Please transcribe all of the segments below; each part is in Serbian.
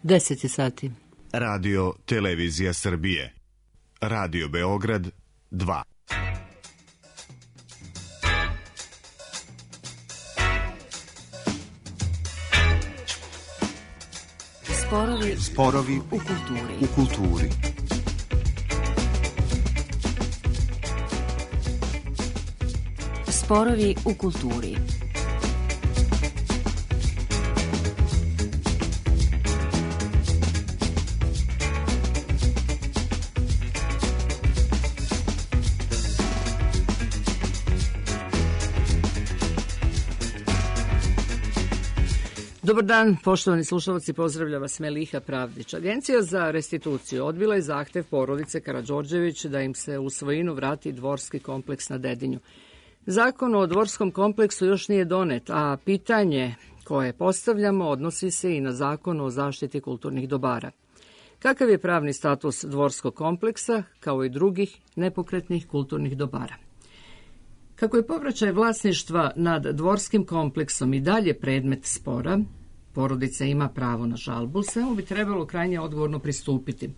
10 sati. Radio Televizija Srbije. Radio Beograd 2. Sporovi u kulturi. Sporovi u kulturi. Dobar dan, poštovani slušalci, pozdravlja vas Meliha Pravdić. Agencija za restituciju odbila je zahtev porodice Karađorđević da im se u svojinu vrati dvorski kompleks na Dedinju. Zakon o dvorskom kompleksu još nije donet, a pitanje koje postavljamo odnosi se i na Zakon o zaštiti kulturnih dobara. Kakav je pravni status dvorskog kompleksa, kao i drugih nepokretnih kulturnih dobara? Kako je povraćaj vlasništva nad dvorskim kompleksom i dalje predmet spora, porodica ima pravo na žalbu, svemu bi trebalo krajnje odgovorno pristupiti.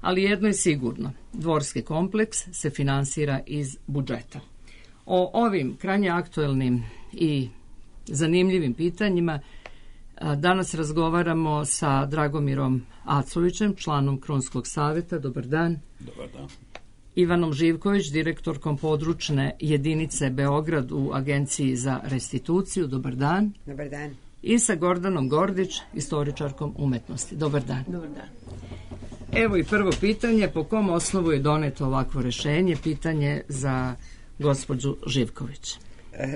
Ali jedno je sigurno, dvorski kompleks se finansira iz budžeta. O ovim krajnje aktuelnim i zanimljivim pitanjima danas razgovaramo sa Dragomirom Acovićem, članom Krunskog saveta. Dobar dan. Dobar dan. Ivanom Živković, direktorkom područne jedinice Beograd u Agenciji za restituciju. Dobar dan. Dobar dan. I sa Gordanom Gordić, istoričarkom umetnosti. Dobar dan. Dobar dan. Evo i prvo pitanje, po kom osnovu je doneto ovakvo rešenje? Pitanje za gospođu Živković.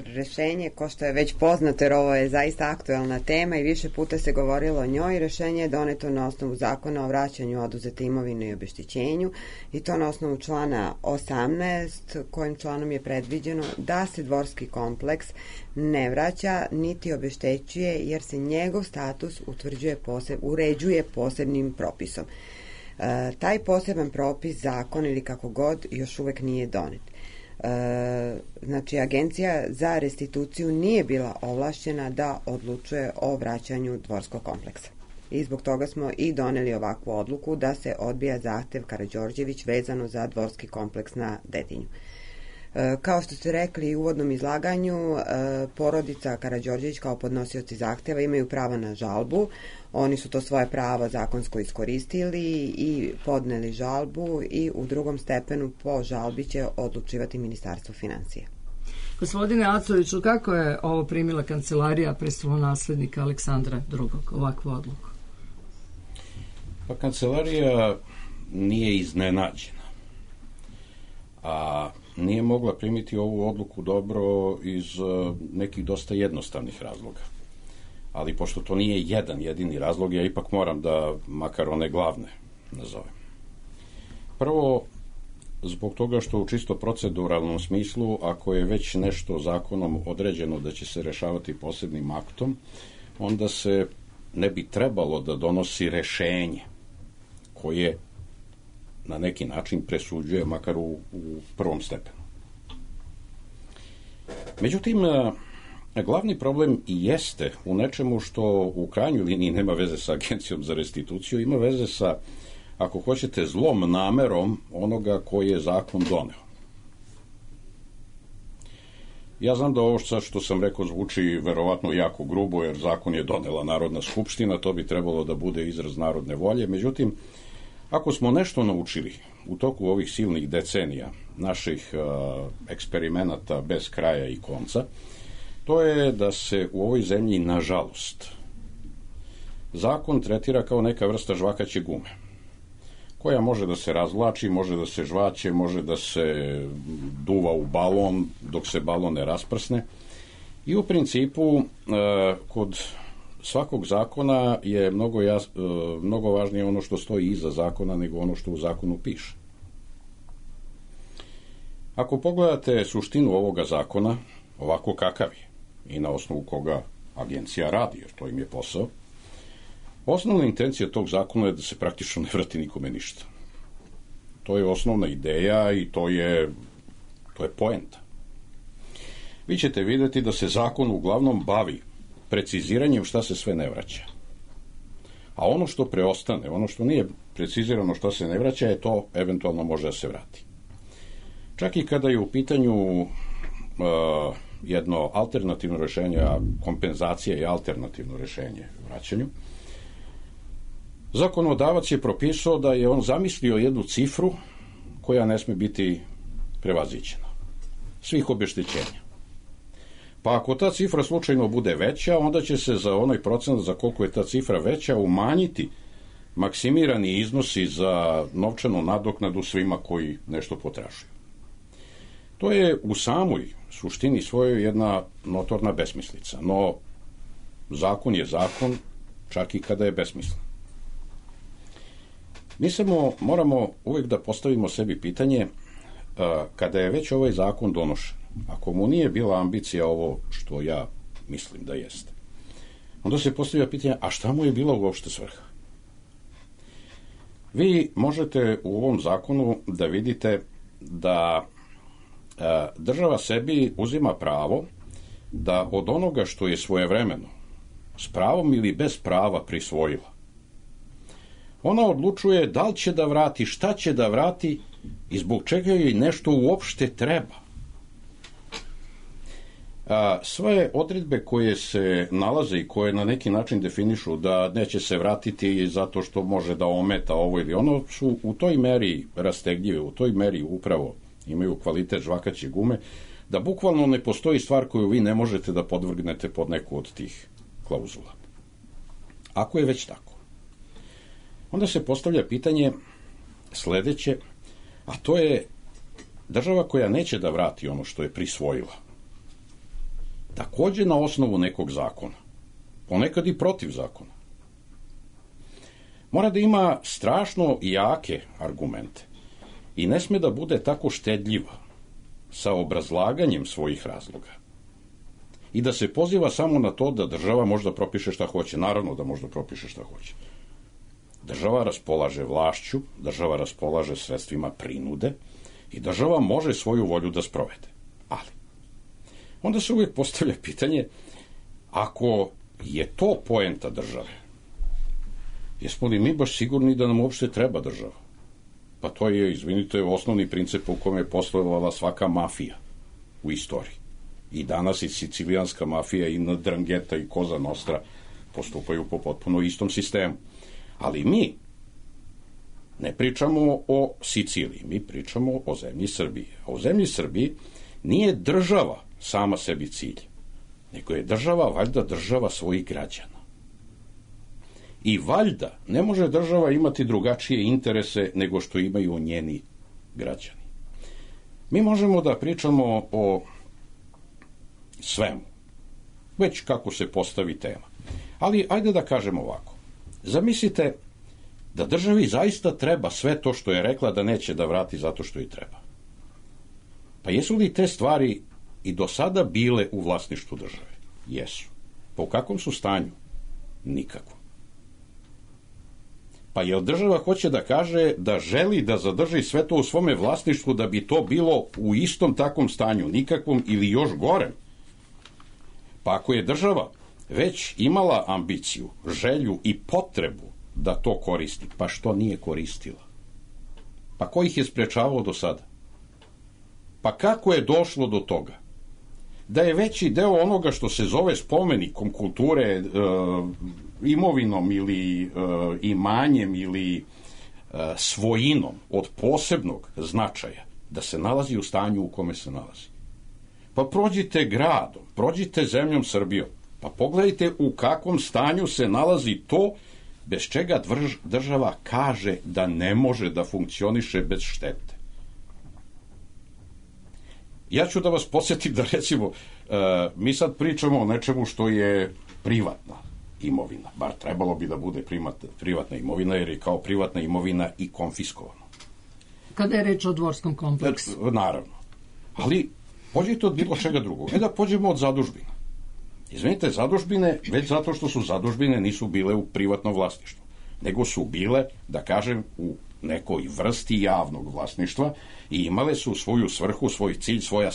Rešenje, ko što je već poznato, jer ovo je zaista aktuelna tema i više puta se govorilo o njoj, rešenje je doneto na osnovu Zakona o vraćanju oduzete imovine i obeštećenju, i to na osnovu člana 18, kojim članom je predviđeno da se dvorski kompleks ne vraća niti obeštećuje, jer se njegov status uređuje posebnim propisom. Taj poseban propis, zakon ili kako god, još uvek nije donet. Znači, Agencija za restituciju nije bila ovlašćena da odlučuje o vraćanju dvorskog kompleksa. I zbog toga smo i doneli ovakvu odluku da se odbija zahtev Karađorđević vezano za dvorski kompleks na Dedinju. Kao što ste rekli u uvodnom izlaganju, porodica Karađorđević kao podnosioci zahteva imaju pravo na žalbu. Oni su to svoje pravo zakonsko iskoristili i podneli žalbu, i u drugom stepenu po žalbi će odlučivati Ministarstvo finansija. Gospodine Acoviću, kako je ovo primila kancelarija prestolonaslednika Aleksandra II, ovakvu odluku? Pa kancelarija nije iznenađena, a nije mogla primiti ovu odluku dobro iz nekih dosta jednostavnih razloga. Ali pošto to nije jedan jedini razlog, ja ipak moram da makar one glavne nazovem. Prvo, zbog toga što u čisto proceduralnom smislu, ako je već nešto zakonom određeno da će se rešavati posebnim aktom, onda se ne bi trebalo da donosi rešenje koje na neki način presuđuje, makar u prvom stepenu. Međutim, glavni problem i jeste u nečemu što u krajnjoj liniji nema veze sa Agencijom za restituciju, ima veze sa, ako hoćete, zlom namerom onoga koji je zakon doneo. Ja znam da ovo što sam rekao zvuči verovatno jako grubo, jer zakon je donela Narodna skupština, to bi trebalo da bude izraz narodne volje. Međutim, ako smo nešto naučili u toku ovih silnih decenija naših eksperimenata bez kraja i konca, to je da se u ovoj zemlji, nažalost, zakon tretira kao neka vrsta žvakaće gume, koja može da se razvlači, može da se žvaće, može da se duva u balon dok se balon ne rasprsne. I u principu, kod svakog zakona je mnogo važnije ono što stoji iza zakona nego ono što u zakonu piše. Ako pogledate suštinu ovoga zakona, ovako kakav je, i na osnovu koga agencija radi, jer to im je posao, osnovna intencija tog zakona je da se praktično ne vrati nikome ništa. To je osnovna ideja i to je poenta. Vi ćete vidjeti da se zakon uglavnom bavi preciziranjem šta se sve ne vraća. a ono što preostane, ono što nije precizirano što se ne vraća, je to eventualno može da se vrati. Čak i kada je u pitanju jedno alternativno rešenje, a kompenzacija je alternativno rešenje u vraćanju, zakonodavac je propisao da je on zamislio jednu cifru koja ne sme biti prevaziđena. Svih obeštećenja. Pa ako ta cifra slučajno bude veća, onda će se za onaj procent za koliko je ta cifra veća umanjiti maksimirani iznosi za novčanu nadoknadu svima koji nešto potražuju. To je u samoj suštini svojoj jedna notorna besmislica, no zakon je zakon čak i kada je besmislen. Mi samo moramo uvijek da postavimo sebi pitanje, kada je već ovaj zakon donošen, ako mu nije bila ambicija ovo što ja mislim da jeste, onda se postavlja pitanje, a šta mu je bila uopšte svrha? Vi možete u ovom zakonu da vidite da država sebi uzima pravo da od onoga što je svojevremeno s pravom ili bez prava prisvojila, ona odlučuje da li će da vrati, šta će da vrati i zbog čega joj nešto uopšte treba. Sve odredbe koje se nalaze i koje na neki način definišu da neće se vratiti zato što može da ometa ovo ili ono, su u toj meri rastegljive, u toj meri upravo imaju kvalitet žvakaće gume, da bukvalno ne postoji stvar koju vi ne možete da podvrgnete pod neku od tih klauzula. Ako je već tako, onda se postavlja pitanje sledeće, a to je država koja neće da vrati ono što je prisvojila, takođe na osnovu nekog zakona, ponekad i protiv zakona, mora da ima strašno jake argumente i ne sme da bude tako štedljiva sa obrazlaganjem svojih razloga i da se poziva samo na to da država možda propiše šta hoće. Naravno da možda propiše šta hoće. Država raspolaže vlašću, država raspolaže sredstvima prinude i država može svoju volju da sprovede. Ali, onda se uvijek postavlja pitanje, ako je to poenta države, jesmo li mi baš sigurni da nam uopšte treba država? Pa to je, izvinite, osnovni princip u kome je poslovala svaka mafija u istoriji. I danas i sicilijanska mafija i Ndrangheta i Cosa Nostra postupaju po potpuno istom sistemu. Ali mi ne pričamo o Siciliji, mi pričamo o zemlji Srbiji. A u zemlji Srbiji nije država sama sebi cilj, nego je država, valjda, država svojih građana. I valjda ne može država imati drugačije interese nego što imaju njeni građani. Mi možemo da pričamo o svemu, već kako se postavi tema. Ali ajde da kažemo ovako. Zamislite da državi zaista treba sve to što je rekla da neće da vrati zato što i treba. Pa jesu li te stvari i do sada bile u vlasništvu države? Jesu. Pa u kakvom su stanju? Nikako. Pa jel država hoće da kaže da želi da zadrži sve to u svome vlasništvu da bi to bilo u istom takvom stanju, nikakvom ili još gorem? Pa ako je država već imala ambiciju, želju i potrebu da to koristi, pa što nije koristila? Pa ko ih je sprečavao do sada? Pa kako je došlo do toga? Da je veći deo onoga što se zove spomenikom kulture, imovinom ili imanjem ili svojinom od posebnog značaja, da se nalazi u stanju u kome se nalazi. Pa prođite gradom, prođite zemljom Srbijom, pa pogledajte u kakvom stanju se nalazi to bez čega država kaže da ne može da funkcioniše bez štete. Ja ću da vas podsjetim da, recimo, mi sad pričamo o nečemu što je privatna imovina, bar trebalo bi da bude privatna imovina, jer je kao privatna imovina i konfiskovana. Kada je reč o dvorskom kompleksu? Naravno. Ali pođite od bilo čega drugog. Da pođemo od zadužbina. Izvinite, zadužbine, već zato što su zadužbine, nisu bile u privatnom vlasništvu, nego su bile, da kažem, u nekoj vrsti javnog vlasništva i imale su svoju svrhu, svoj cilj, svoja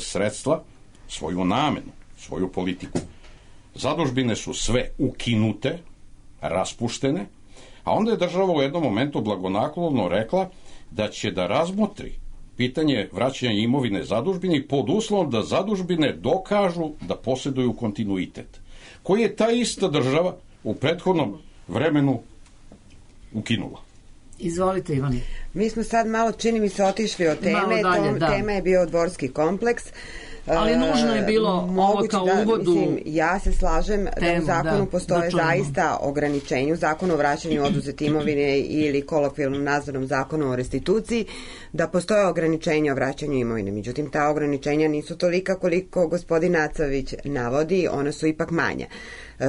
sredstva, svoju namenu, svoju politiku. Zadužbine su sve ukinute, raspuštene, a onda je država u jednom momentu blagonaklono rekla da će da razmotri pitanje vraćanja imovine zadužbini pod uslovom da zadužbine dokažu da posjeduju kontinuitet, koji je ta ista država u prethodnom vremenu ukinula. Izvolite, Ivane. Mi smo sad malo, čini mi se, otišli od teme. Tema je bio dvorski kompleks. Ali nužno je bilo ovo kao uvodu. Ja se slažem da u zakonu postoje zaista ograničenja, u zakonu o vraćanju oduzete imovine ili kolokvijalnom nazvanom zakonu o restituciji, da postoje ograničenja o vraćanju imovine. Međutim, ta ograničenja nisu tolika koliko gospodin Acavić navodi, ona su ipak manja.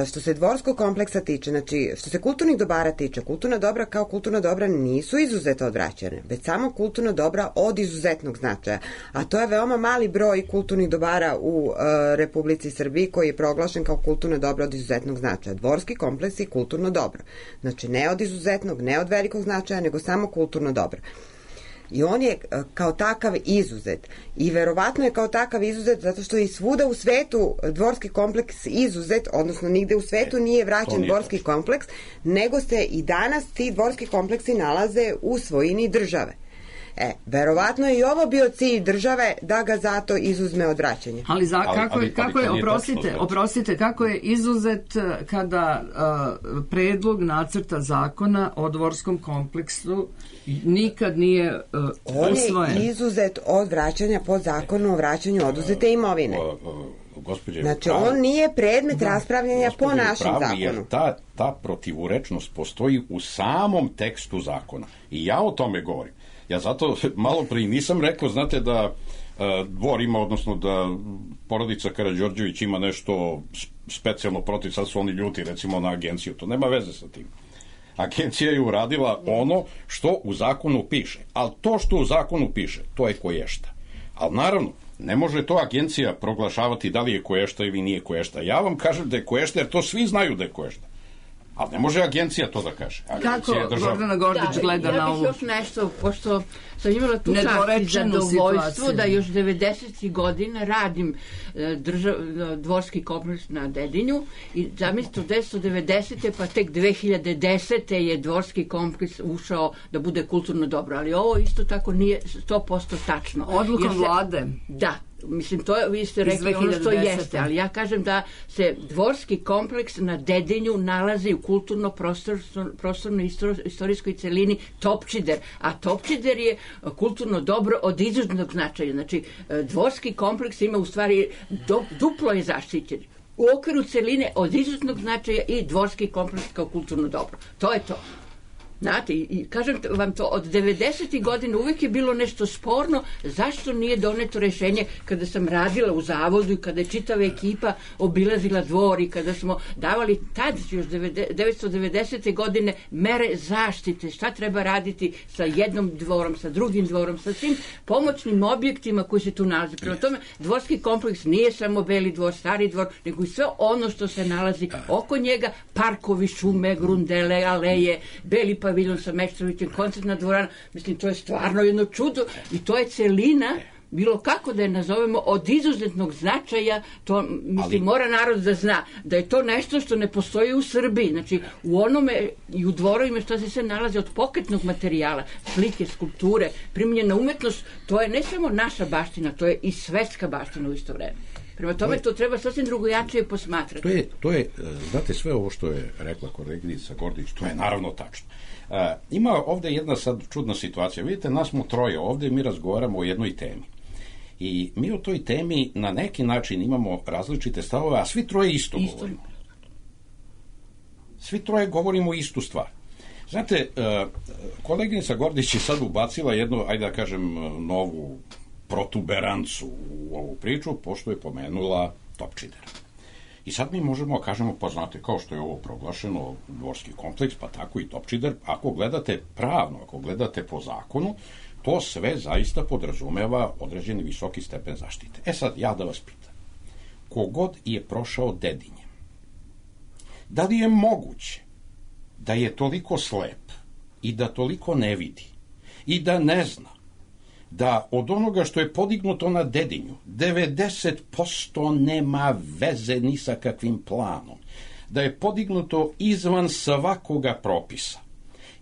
Što se dvorskog kompleksa tiče, znači što se kulturnih dobara tiče, kulturna dobra kao kulturna dobra nisu izuzeta od vraćanja, već samo kulturna dobra od izuzetnog značaja. A to je veoma mali broj kulturnih dobara u Republici Srbiji koji je proglašen kao kulturna dobra od izuzetnog značaja. Dvorski kompleks je kulturno dobro. Znači ne od izuzetnog, ne od velikog značaja, nego samo kulturno dobro. I on je kao takav izuzet. I verovatno je kao takav izuzet zato što i svuda u svetu dvorski kompleks izuzet, odnosno nigde u svetu nije vraćan dvorski kompleks, nego se i danas ti dvorski kompleksi nalaze u svojini države. Verovatno je i ovo bio cilj države da ga zato izuzme od vraćanja. Ali kako je izuzet kada predlog nacrta zakona o dvorskom kompleksu nikad nije usvojen? On je izuzet od vraćanja po zakonu o vraćanju oduzete imovine. Znači, on nije predmet raspravljanja po našem zakonu. Jer ta protivurečnost postoji u samom tekstu zakona. I ja o tome govorim. Ja zato malo prije nisam rekao, znate, da dvor ima, odnosno da porodica Karađorđević ima nešto specijalno protiv, sad su oni ljuti recimo na agenciju, to nema veze sa tim. Agencija je uradila ono što u zakonu piše, ali to što u zakonu piše, to je koješta. Ali naravno, ne može to agencija proglašavati da li je koješta ili nije koješta. Ja vam kažem da je koješta, jer to svi znaju da je koješta. Ali ne može agencija to da kaže. Kako Gordana Gordić gleda na ovo? Ja bih još nešto, pošto sam imala tu čast i zadovoljstvo da još 90. godina radim dvorski kompleks na Dedinju i zamislite od 1990. pa tek 2010. je dvorski kompleks ušao da bude kulturno dobro, ali ovo isto tako nije 100% tačno. Odlukom vlade? Da. Mislim, to vi ste rekli ono što jeste, ali ja kažem da se dvorski kompleks na Dedinju nalazi u kulturno-prostornoj istorijskoj celini Topčider, a Topčider je kulturno dobro od izuzetnog značaja. Znači, dvorski kompleks ima u stvari duplo je zaštićen. U okviru celine od izuzetnog značaja i dvorski kompleks kao kulturno dobro. To je to. Znate, i kažem vam to, od 90. godina uvijek je bilo nešto sporno, zašto nije doneto rešenje kada sam radila u zavodu i kada je čitava ekipa obilazila dvor i kada smo davali tad, još 1990. godine, mere zaštite, šta treba raditi sa jednom dvorom, sa drugim dvorom, sa svim pomoćnim objektima koji se tu nalazi. Prema tome, dvorski kompleks nije samo Beli dvor, Stari dvor, nego i sve ono što se nalazi oko njega, parkovi, šume, grundele, aleje, Beli paviljon sa Meštrovićem, koncertna dvorana, mislim, to je stvarno jedno čudo i to je celina, bilo kako da je nazovemo, od izuzetnog značaja, to, mislim, mora narod da zna, da je to nešto što ne postoji u Srbiji, znači, u onome i u dvorovima što se sve nalazi od pokretnog materijala, slike, skulpture, primljena umetnost, to je ne samo naša baština, to je i svetska baština u isto vreme. Prema tome to treba sasvim drugojačije posmatrati. To je, znate, sve ovo što je rekla koleginica Gordić, to je naravno tačno. Ima ovde jedna sad čudna situacija. Vidite, nas smo troje ovde i mi razgovaramo o jednoj temi. I mi o toj temi na neki način imamo različite stavove, a svi troje isto govorimo. Svi troje govorimo istu stvar. Znate, koleginica Gordić je sad ubacila jednu, ajde da kažem, novu protuberancu u ovu priču, pošto je pomenula Topčider. I sad mi možemo kažemo, pa znate, kao što je ovo proglašeno dvorski kompleks, pa tako i Topčider, ako gledate pravno, ako gledate po zakonu, to sve zaista podrazumeva određeni visoki stepen zaštite. Sad, ja da vas pitam, kogod je prošao Dedinjem, da li je moguće da je toliko slep i da toliko ne vidi i da ne zna da od onoga što je podignuto na Dedinju 90% nema veze ni sa kakvim planom, da je podignuto izvan svakoga propisa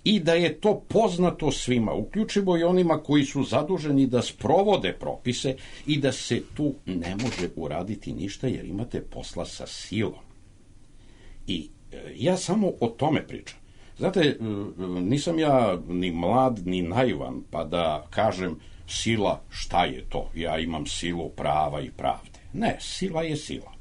i da je to poznato svima, uključivo i onima koji su zaduženi da sprovode propise i da se tu ne može uraditi ništa jer imate posla sa silom. I ja samo o tome pričam. Znate, nisam ja ni mlad, ni naivan, pa da kažem sila, šta je to? Ja imam silu prava i pravde. Ne, sila je sila.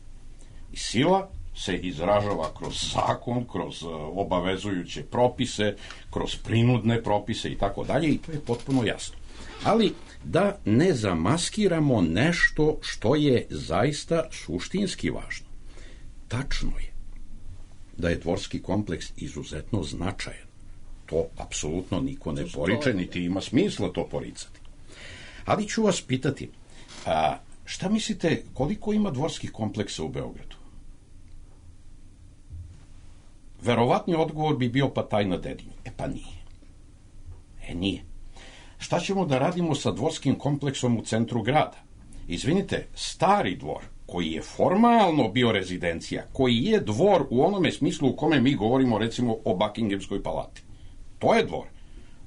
I sila se izražava kroz zakon, kroz obavezujuće propise, kroz prinudne propise i tako dalje, i to je potpuno jasno. Ali da ne zamaskiramo nešto što je zaista suštinski važno. Tačno je da je dvorski kompleks izuzetno značajan. To apsolutno niko ne poriče, niti ima smisla to poricati. Ali ću vas pitati, šta mislite koliko ima dvorskih kompleksa u Beogradu? Verovatni odgovor bi bio pa taj na Dedinju. Pa nije. Nije. Šta ćemo da radimo sa dvorskim kompleksom u centru grada? Izvinite, stari dvor, koji je formalno bio rezidencija, koji je dvor u onome smislu u kome mi govorimo recimo o Buckinghamskoj palati. To je dvor.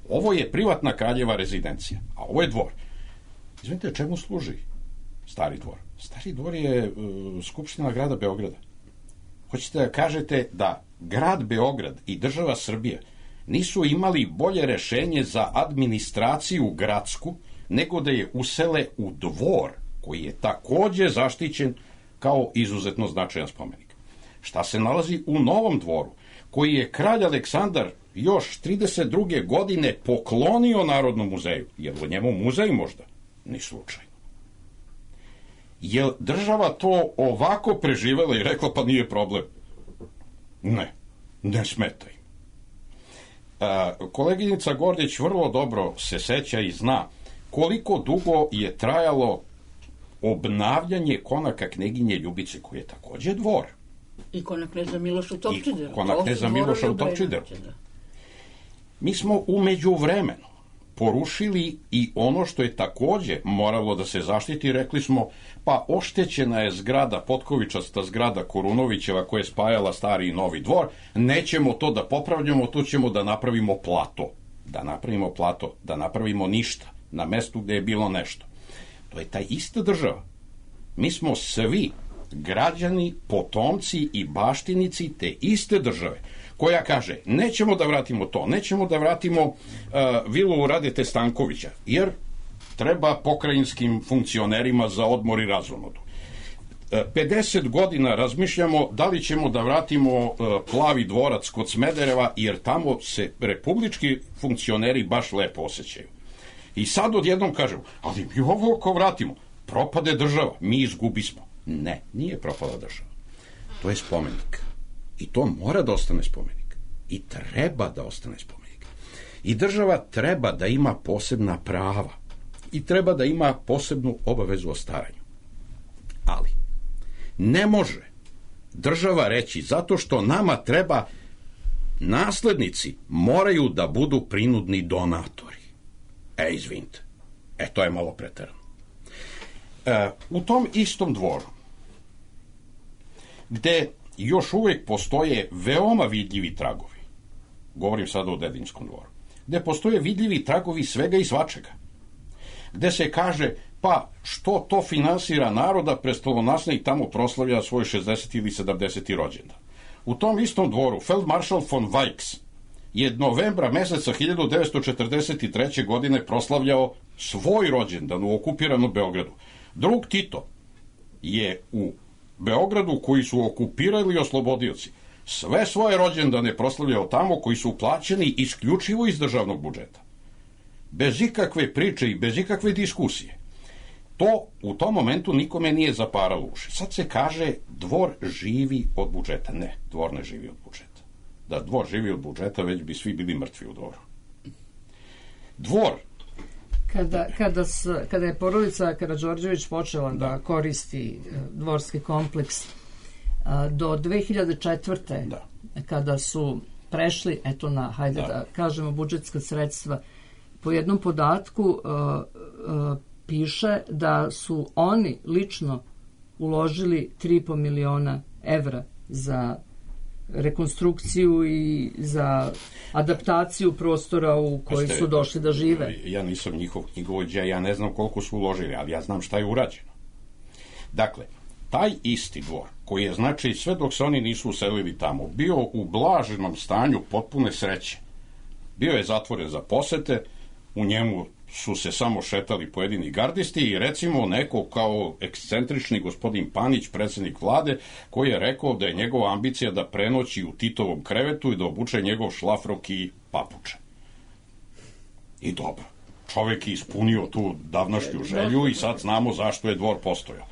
Ovo je privatna kraljeva rezidencija, a ovo je dvor. Izvinite, čemu služi stari dvor? Stari dvor je Skupština grada Beograda. Hoćete da kažete da grad Beograd i država Srbija nisu imali bolje rešenje za administraciju gradsku nego da je usele u dvor koji je takođe zaštićen kao izuzetno značajan spomenik. Šta se nalazi u Novom dvoru, koji je kralj Aleksandar još 32. godine poklonio Narodnom muzeju? Je li u njemu muzej možda? Ni slučajno. Je država to ovako preživela i rekla pa nije problem? Ne smeta im. Koleginica Gordić vrlo dobro se seća i zna koliko dugo je trajalo obnavljanje konaka kneginje Ljubice, koji je takođe dvor. I konak kneza Miloša u Topčideru. Konak kneza Miloša u Topčideru. Mi smo u međuvremenu porušili i ono što je takođe moralo da se zaštiti. Rekli smo, pa oštećena je zgrada, potkovičasta zgrada Korunovićeva koja je spajala stari i novi dvor, nećemo to da popravljamo, to ćemo da napravimo plato. Da napravimo ništa na mestu gde je bilo nešto. To je ta ista država. Mi smo svi građani, potomci i baštinici te iste države, koja kaže, nećemo da vratimo to, nećemo da vratimo vilu Radete Stankovića, jer treba pokrajinskim funkcionerima za odmor i razonodu. 50 godina razmišljamo da li ćemo da vratimo Plavi dvorac kod Smedereva, jer tamo se republički funkcioneri baš lepo osjećaju. I sad odjednom kažemo, ali mi ovo ako vratimo, propade država, mi izgubismo. Ne, nije propala država. To je spomenik. I to mora da ostane spomenik. I treba da ostane spomenik. I država treba da ima posebna prava. I treba da ima posebnu obavezu o staranju. Ali ne može država reći zato što nama treba naslednici moraju da budu prinudni donatori. Izvinite. To je malo preterano. U tom istom dvoru, gde još uvek postoje veoma vidljivi tragovi, govorim sada o Dedinskom dvoru, gde postoje vidljivi tragovi svega i svačega, gde se kaže, pa što to finansira naroda, prestolonaslednik tamo proslavlja svoj 60. ili 70. rođendan. U tom istom dvoru feldmaršal von Weichs je novembra meseca 1943. godine proslavljao svoj rođendan u okupiranom Beogradu. Drug Tito je u Beogradu, koji su okupirali oslobodioci, sve svoje rođendane proslavljao tamo, koji su plaćeni isključivo iz državnog budžeta. Bez ikakve priče i bez ikakve diskusije. To u tom momentu nikome nije zaparalo uši. Sad se kaže dvor živi od budžeta. Ne, dvor ne živi od budžeta. Da dvor živi od budžeta, već bi svi bili mrtvi u dvoru. Dvor. Kada je porodica Karađorđević počela da koristi dvorski kompleks do 2004. Kada su prešli, da kažemo, budžetska sredstva, po jednom podatku piše da su oni lično uložili 3,5 miliona evra za rekonstrukciju i za adaptaciju prostora u koji su došli da žive. Ja nisam njihov knjigovođa, ja ne znam koliko su uložili, ali ja znam šta je urađeno. Dakle, taj isti dvor, koji je, znači, sve dok se oni nisu uselili tamo, bio u blaženom stanju potpune sreće. Bio je zatvoren za posete, u njemu su se samo šetali pojedini gardisti i recimo neko kao ekscentrični gospodin Panić, predsjednik vlade, koji je rekao da je njegova ambicija da prenoći u Titovom krevetu i da obuče njegov šlafrok i papuče. I dobro, čovjek je ispunio tu davnašnju želju i sad znamo zašto je dvor postojao.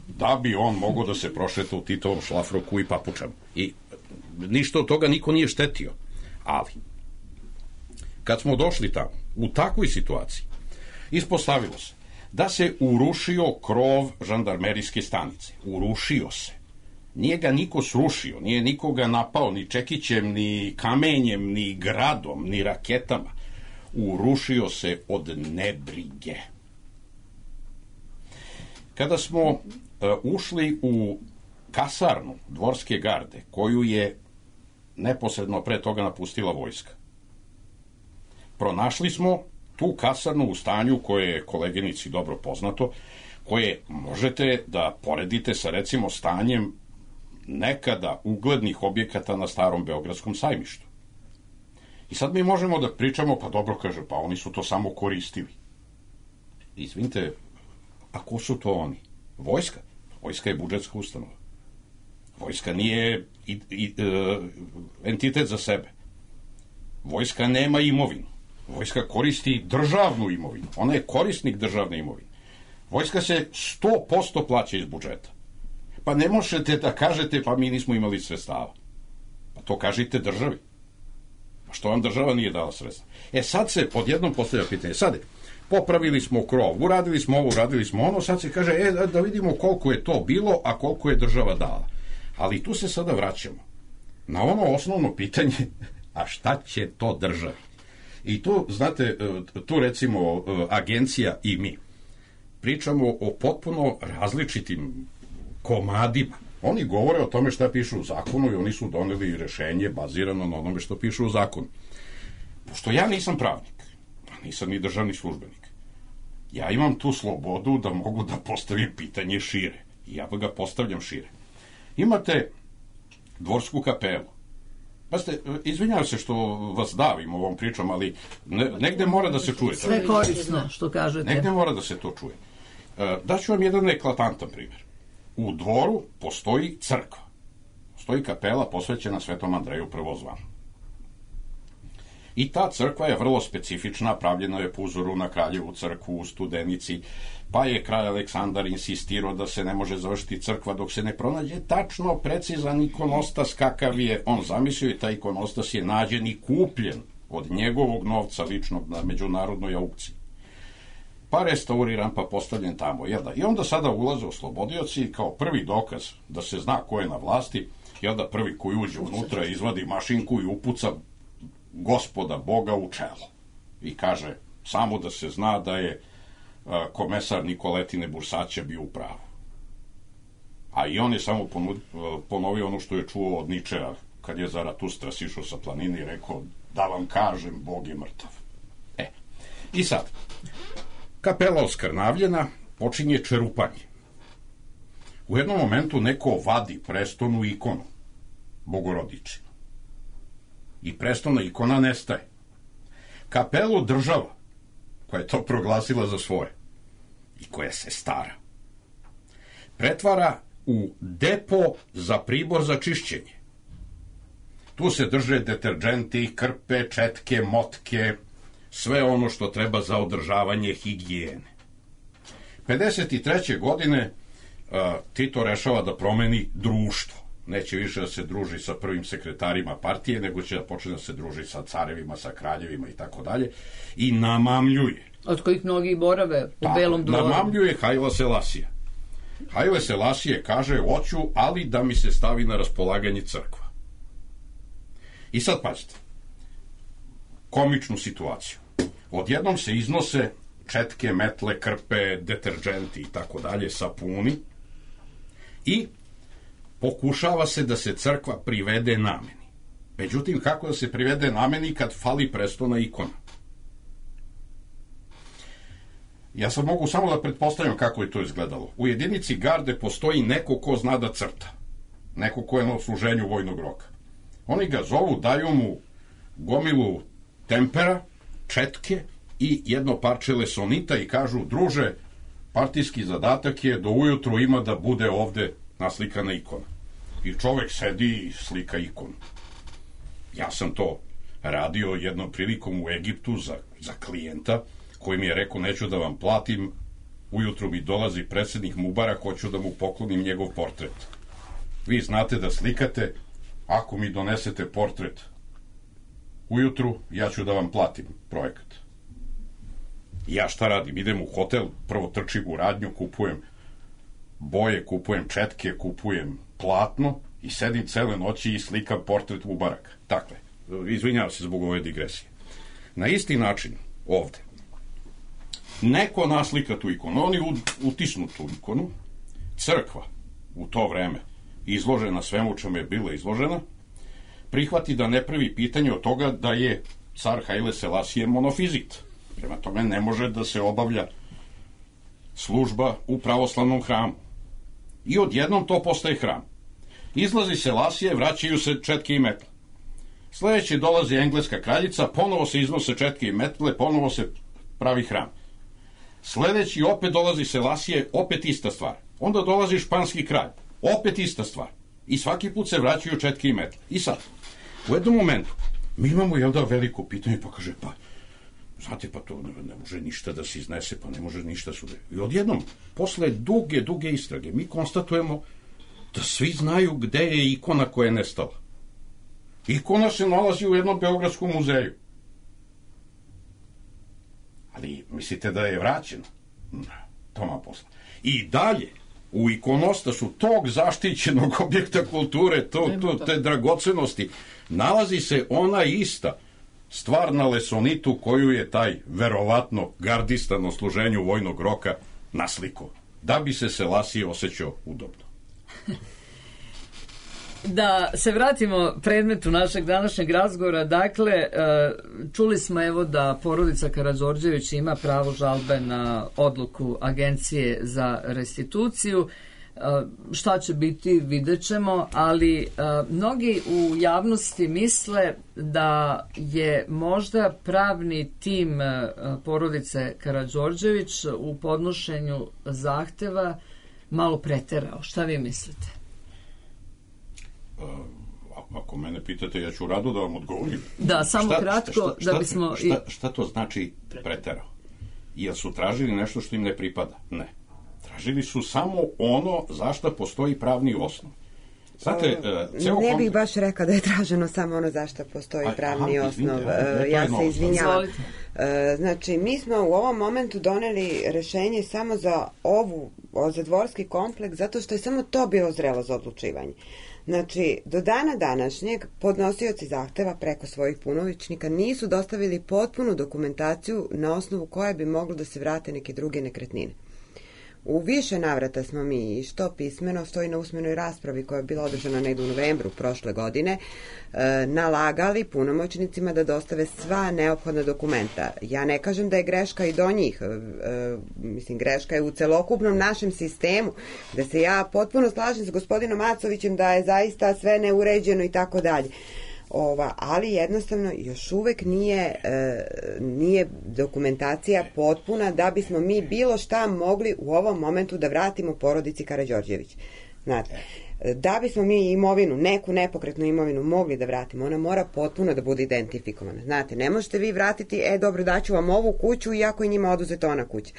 Da bi on mogao da se prošeta u Titovom šlafroku i papučama. I ništa od toga niko nije štetio. Ali, kad smo došli tamo, u takvoj situaciji, ispostavilo se da se urušio krov žandarmerijske stanice. Urušio se. Nije ga niko srušio, nije nikoga napao ni čekićem, ni kamenjem, ni gradom, ni raketama. Urušio se od nebrige. Kada smo ušli u kasarnu dvorske garde, koju je neposredno pre toga napustila vojska, pronašli smo tu kasarnu u stanju koje je koleginici dobro poznato, koje možete da poredite sa, recimo, stanjem nekada uglednih objekata na starom Beogradskom sajmištu. I sad mi možemo da pričamo, pa dobro, kaže, pa oni su to samo koristili. Izvinite, a ko su to oni? Vojska? Vojska je budžetska ustanova. Vojska nije entitet za sebe. Vojska nema imovinu. Vojska koristi državnu imovinu. Ona je korisnik državne imovine. Vojska se 100% plaća iz budžeta. Pa ne možete da kažete, pa mi nismo imali sredstava. Pa to kažite državi. Pa što vam država nije dala sredstva? Sad se odjednom postavlja pitanje. Sad, popravili smo krov, uradili smo ovo, uradili smo ono, sad se kaže, da vidimo koliko je to bilo, a koliko je država dala. Ali tu se sada vraćamo na ono osnovno pitanje, a šta će to državi? I tu, znate, tu recimo agencija i mi pričamo o potpuno različitim komadima. Oni govore o tome šta piše u zakonu i oni su doneli rešenje bazirano na onome što piše u zakonu. Pošto ja nisam pravnik, a nisam ni državni službenik, ja imam tu slobodu da mogu da postavim pitanje šire. I ja ga postavljam šire. Imate dvorsku kapelu. Pa ste, izvinjavam se što vas davim ovom pričom, ali negde mora da se čuje. Sve korisno što kažete. Negde mora da se to čuje. Daću vam jedan eklatantan primjer. U dvoru postoji crkva. Postoji kapela posvećena Svetom Andreju Prvozvanu. I ta crkva je vrlo specifična, pravljena je po uzoru na Kraljevu crkvu u Studenici, pa je kralj Aleksandar insistirao da se ne može završiti crkva dok se ne pronađe tačno precizan ikonostas kakav je on zamislio, i taj ikonostas je nađen i kupljen od njegovog novca ličnog na međunarodnoj aukciji. Pa restauriran, pa postavljen tamo. I onda sada ulaze oslobodioci kao prvi dokaz da se zna ko je na vlasti, prvi koji uđe unutra izvadi mašinku i upuca Gospoda Boga u čelo. I kaže, samo da se zna da je komesar Nikoletine Bursaća bio u pravu. A i on je samo ponovio ono što je čuo od Ničea kad je Zaratustra sišao sa planine i rekao, da vam kažem, Bog je mrtav. I sad, kapela oskrnavljena, počinje čerupanje. U jednom momentu neko vadi prestonu ikonu Bogorodičinu. I prestona ikona nestaje. Kapelu država, koja je to proglasila za svoje i koja se stara, pretvara u depo za pribor za čišćenje. Tu se drže deterđenti, krpe, četke, motke, sve ono što treba za održavanje higijene. 53. godine Tito rešava da promeni društvo. Neće više da se druži sa prvim sekretarima partije, nego će da počne da se druži sa carevima, sa kraljevima i tako dalje. I namamljuje. Od kojih mnogi borave u Belom dvoru. Namamljuje Haile Selasija. Haile Selasije kaže, hoću, ali da mi se stavi na raspolaganje crkva. I sad pazite, komičnu situaciju. Odjednom se iznose četke, metle, krpe, deterđenti i tako dalje, sapuni, i pokušava se da se crkva privede nameni. Međutim, kako da se privede nameni kad fali prestona ikona? Ja sad mogu samo da pretpostavljam kako je to izgledalo. U jedinici garde postoji neko ko zna da crta. Neko ko je na odsluženju vojnog roka. Oni ga zovu, daju mu gomilu tempera, četke i jedno parče lesonita i kažu, druže, partijski zadatak je do ujutru ima da bude ovde naslikana ikona. I čovek sedi i slika ikonu. Ja sam to radio jednom prilikom u Egiptu za klijenta koji mi je rekao, neću da vam platim, ujutru mi dolazi predsednik Mubarak, hoću da mu poklonim njegov portret. Vi znate da slikate, ako mi donesete portret ujutru, ja ću da vam platim projekat. Ja šta radim? Idem u hotel, prvo trčim u radnju, kupujem boje, kupujem četke, kupujem platno i sedim cele noći i slikam portret Mubaraka. Dakle, izvinjavam se zbog ove digresije. Na isti način, ovde, neko naslika tu ikonu, oni utisnu tu ikonu, crkva u to vreme izložena svemu čemu je bila izložena, prihvati da ne pravi pitanje od toga da je car Haile Selasije monofizit. Prema tome ne može da se obavlja služba u pravoslavnom hramu. I odjednom to postaje hram. Izlazi Selasije, vraćaju se četke i metle. Sledeći dolazi engleska kraljica, ponovo se iznose četke i metle, ponovo se pravi hram. Sledeći opet dolazi Selasije, opet ista stvar. Onda dolazi španski kralj, opet ista stvar. I svaki put se vraćaju četke i metle. I sad, u jednom momentu, mi imamo veliko pitanje, pa kaže, znate, pa to ne može ništa da se iznese, pa ne može ništa sude. I odjednom, posle duge istrage, mi konstatujemo da svi znaju gde je ikona koja je nestala. Ikona se nalazi u jednom beogradskom muzeju. Ali mislite da je vraćena? Toma posla. I dalje, u ikonostasu tog zaštićenog objekta kulture, te dragocenosti, nalazi se ona ista stvar na lesonitu koju je taj verovatno gardista na služenju vojnog roka naslikao, da bi se Selasije osjećao udobno. Da se vratimo predmetu našeg današnjeg razgovora, dakle, čuli smo evo da porodica Karađorđević ima pravo žalbe na odluku Agencije za restituciju. Šta će biti, vidjet ćemo, ali mnogi u javnosti misle da je možda pravni tim porodice Karađorđević u podnošenju zahteva malo preterao. Šta vi mislite? Ako mene pitate, ja ću rado da vam odgovorim. Da, samo kratko, da bismo... Šta to znači preterao? Jel su tražili nešto što im ne pripada? Ne. Tražili su samo ono za što postoji pravni osnov. Znate, ne bih baš rekao da je traženo samo ono za što postoji pravni osnov. Ja se izvinjavam. Znači, mi smo u ovom momentu doneli rešenje samo za za dvorski kompleks, zato što je samo to bilo zrelo za odlučivanje. Znači, do dana današnjeg podnosioci zahteva preko svojih punomoćnika nisu dostavili potpunu dokumentaciju na osnovu koje bi moglo da se vrate neke druge nekretnine. U više navrata smo mi, što pismeno, stoji na usmenoj raspravi koja je bila održana negde u novembru prošle godine, nalagali punomoćnicima da dostave sva neophodna dokumenta. Ja ne kažem da je greška i do njih, mislim, greška je u celokupnom našem sistemu, da se ja potpuno slažem s gospodinom Macovićem da je zaista sve neuređeno i tako dalje. Ali jednostavno još uvek nije dokumentacija potpuna da bismo mi bilo šta mogli u ovom momentu da vratimo porodici Karađorđević. Znate, da bismo mi imovinu, neku nepokretnu imovinu mogli da vratimo, ona mora potpuno da bude identifikovana. Znate, ne možete vi vratiti, dobro, daću vam ovu kuću iako je njima oduzeta ona kuća.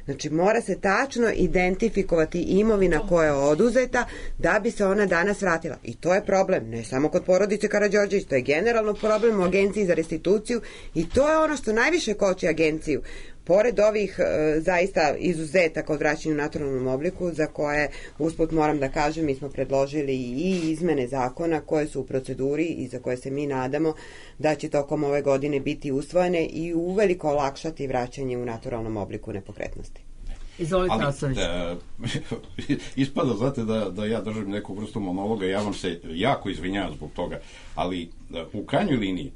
Znači, mora se tačno identifikovati imovina koja je oduzeta da bi se ona danas vratila. I to je problem, ne samo kod porodice Karađorđević, to je generalno problem u Agenciji za restituciju i to je ono što najviše koči agenciju. Pored ovih zaista izuzetaka od vraćanja u naturalnom obliku, za koje, usput moram da kažem, mi smo predložili i izmene zakona koje su u proceduri i za koje se mi nadamo da će tokom ove godine biti usvojene i uveliko olakšati vraćanje u naturalnom obliku nepokretnosti. Izvolite, Nasović. Ispada, znate, da ja držim neku vrstu monologa, ja vam se jako izvinjavam zbog toga, ali u krajnjoj liniji,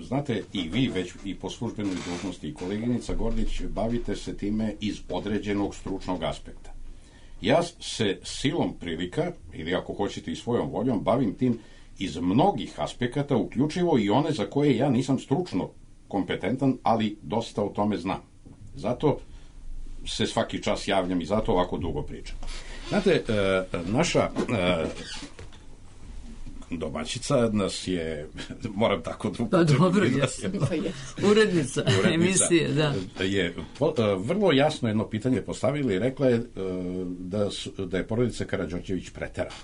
znate, i vi već i po službenoj dužnosti i koleginica Gordić bavite se time iz određenog stručnog aspekta. Ja se silom prilika, ili ako hoćete i svojom voljom, bavim tim iz mnogih aspekata, uključivo i one za koje ja nisam stručno kompetentan, ali dosta o tome znam. Zato se svaki čas javljam i zato ovako dugo pričam. Znate, naša domaćica nas je, moram tako da upotrebim. Pa dobro, urednica emisije, da. Je vrlo jasno jedno pitanje postavila i rekla je da je porodica Karađorđević preterala.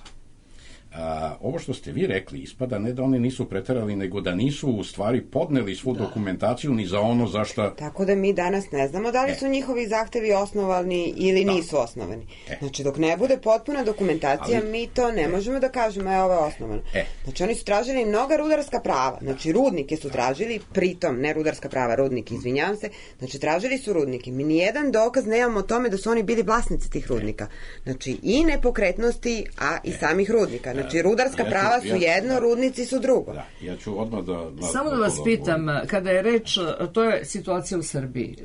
Ovo što ste vi rekli ispada ne da oni nisu preterali, nego da nisu u stvari podneli svu dokumentaciju ni za ono za šta... Tako da mi danas ne znamo da li su njihovi zahtevi osnovani ili nisu osnovani. Znači, dok ne bude potpuna dokumentacija, mi to ne možemo da kažemo, ovo je osnovano. Znači, oni su tražili mnoga rudarska prava. Znači, rudnike su tražili, pritom, ne rudarska prava, rudnike, izvinjavam se, znači, tražili su rudnike. Mi nijedan dokaz nemamo o tome da su oni bili vlasnici tih rudnika. Znači, i nepokretnosti, a i samih rudnika. Znači, rudarska prava su jedno, rudnici su drugo. Da, ja ću odmah Samo da vas pitam, kada je reč, to je situacija u Srbiji,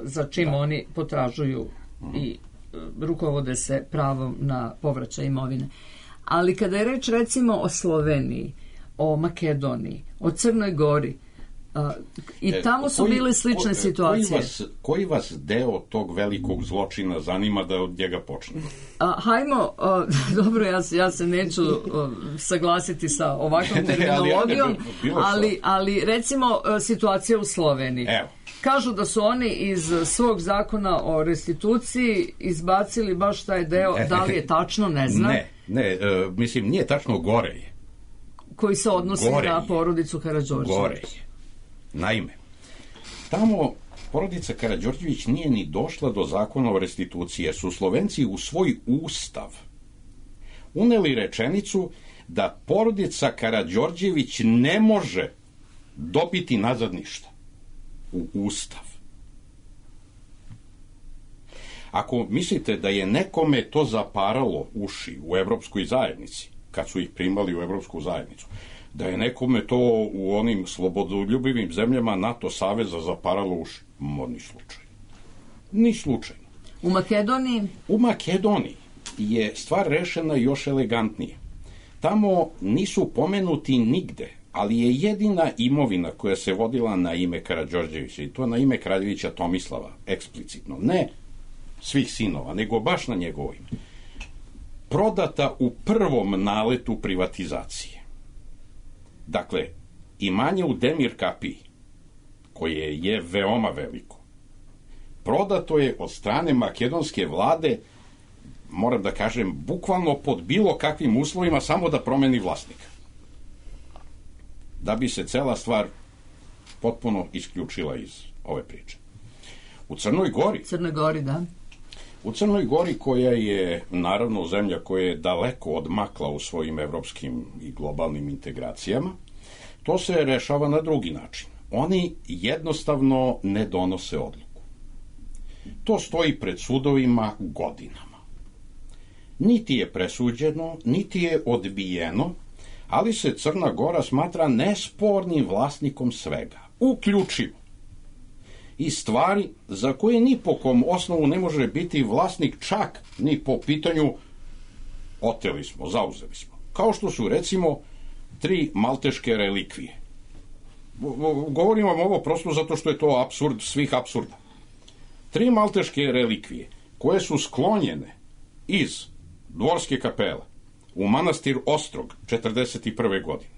za čim oni potražuju i rukovode se pravom na povraćaj imovine. Ali kada je reč, recimo, o Sloveniji, o Makedoniji, o Crnoj Gori, i tamo su bile slične situacije. Koji vas deo tog velikog zločina zanima da od njega počne? Hajmo, dobro, ja se neću saglasiti sa ovakvom terminologijom, ali recimo situacija u Sloveniji. Evo. Kažu da su oni iz svog zakona o restituciji izbacili baš taj deo, da li je tačno, ne znam. Ne, mislim, nije tačno, gore je. Koji se odnosi na porodicu Karađorđević. Gore je. Naime, tamo porodica Karađorđević nije ni došla do zakona o restituciji, jer su Slovenci u svoj ustav uneli rečenicu da porodica Karađorđević ne može dobiti nazad ništa. U ustav. Ako mislite da je nekome to zaparalo uši u Evropskoj zajednici, kad su ih primali u Evropsku zajednicu, da je nekome to u onim slobodoljubivim zemljama NATO saveza zaparalo uši, ni slučajno. Ni slučajno. U Makedoniji? U Makedoniji je stvar rešena još elegantnije. Tamo nisu pomenuti nigde, ali je jedina imovina koja se vodila na ime Karađorđevića, i to na ime kraljevića Tomislava, eksplicitno, ne svih sinova, nego baš na njegovo ime, prodata u prvom naletu privatizacije. Dakle, imanje u Demir Kapiji, koje je veoma veliko, prodato je od strane makedonske vlade, moram da kažem, bukvalno pod bilo kakvim uslovima, samo da promeni vlasnika. Da bi se cela stvar potpuno isključila iz ove priče. U Crnoj Gori... U Crnoj Gori, koja je, naravno, zemlja koja je daleko odmakla u svojim evropskim i globalnim integracijama, to se rešava na drugi način. Oni jednostavno ne donose odluku. To stoji pred sudovima godinama. Niti je presuđeno, niti je odbijeno, ali se Crna Gora smatra nespornim vlasnikom svega, uključivo i stvari za koje ni po kom osnovu ne može biti vlasnik, čak ni po pitanju oteli smo, zauzeli smo. Kao što su, recimo, 3 malteške relikvije. Govorim vam ovo prosto zato što je to apsurd svih apsurda. 3 malteške relikvije koje su sklonjene iz Dvorske kapele u manastir Ostrog 1941. godine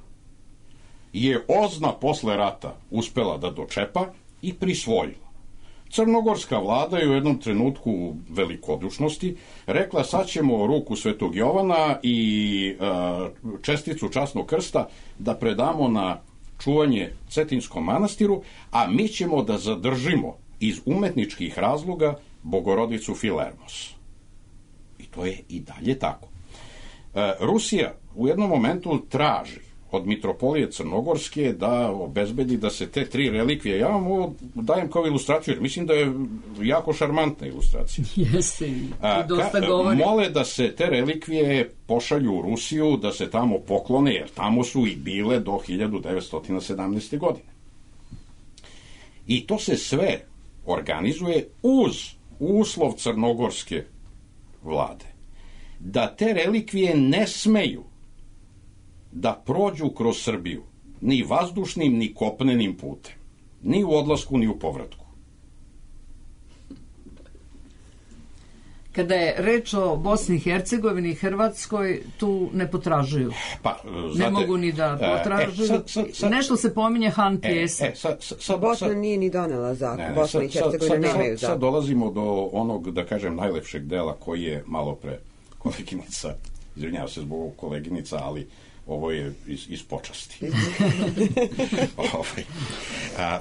je OZNA posle rata uspela da dočepa i prisvojila. Crnogorska vlada je u jednom trenutku velikodušnosti rekla, sad ćemo ruku Svetog Jovana i česticu časnog krsta da predamo na čuvanje Cetinskom manastiru, a mi ćemo da zadržimo iz umetničkih razloga Bogorodicu Filermos. I to je i dalje tako. Rusija u jednom momentu traži od mitropolije Crnogorske da obezbedi da se te 3 relikvije, ja vam ovo dajem kao ilustraciju, jer mislim da je jako šarmantna ilustracija. Jeste, i dosta govori. Mole da se te relikvije pošalju u Rusiju, da se tamo poklone, jer tamo su i bile do 1917. godine. I to se sve organizuje uz uslov crnogorske vlade, da te relikvije ne smeju da prođu kroz Srbiju, ni vazdušnim, ni kopnenim putem, ni u odlasku, ni u povratku. Kada je reč o Bosni i Hercegovini i Hrvatskoj, tu ne potražuju. Pa, ne mogu ni da potražuju. Nešto se pominje Han pjesa. Bosna nije ni donela zakon. Bosna i Hercegovina nemaju zakon. Sad dolazimo do onog, da kažem, najlepšeg dela koji je malo pre koleginica, izvinjavam se zbog koleginica, ali ovo je iz počasti.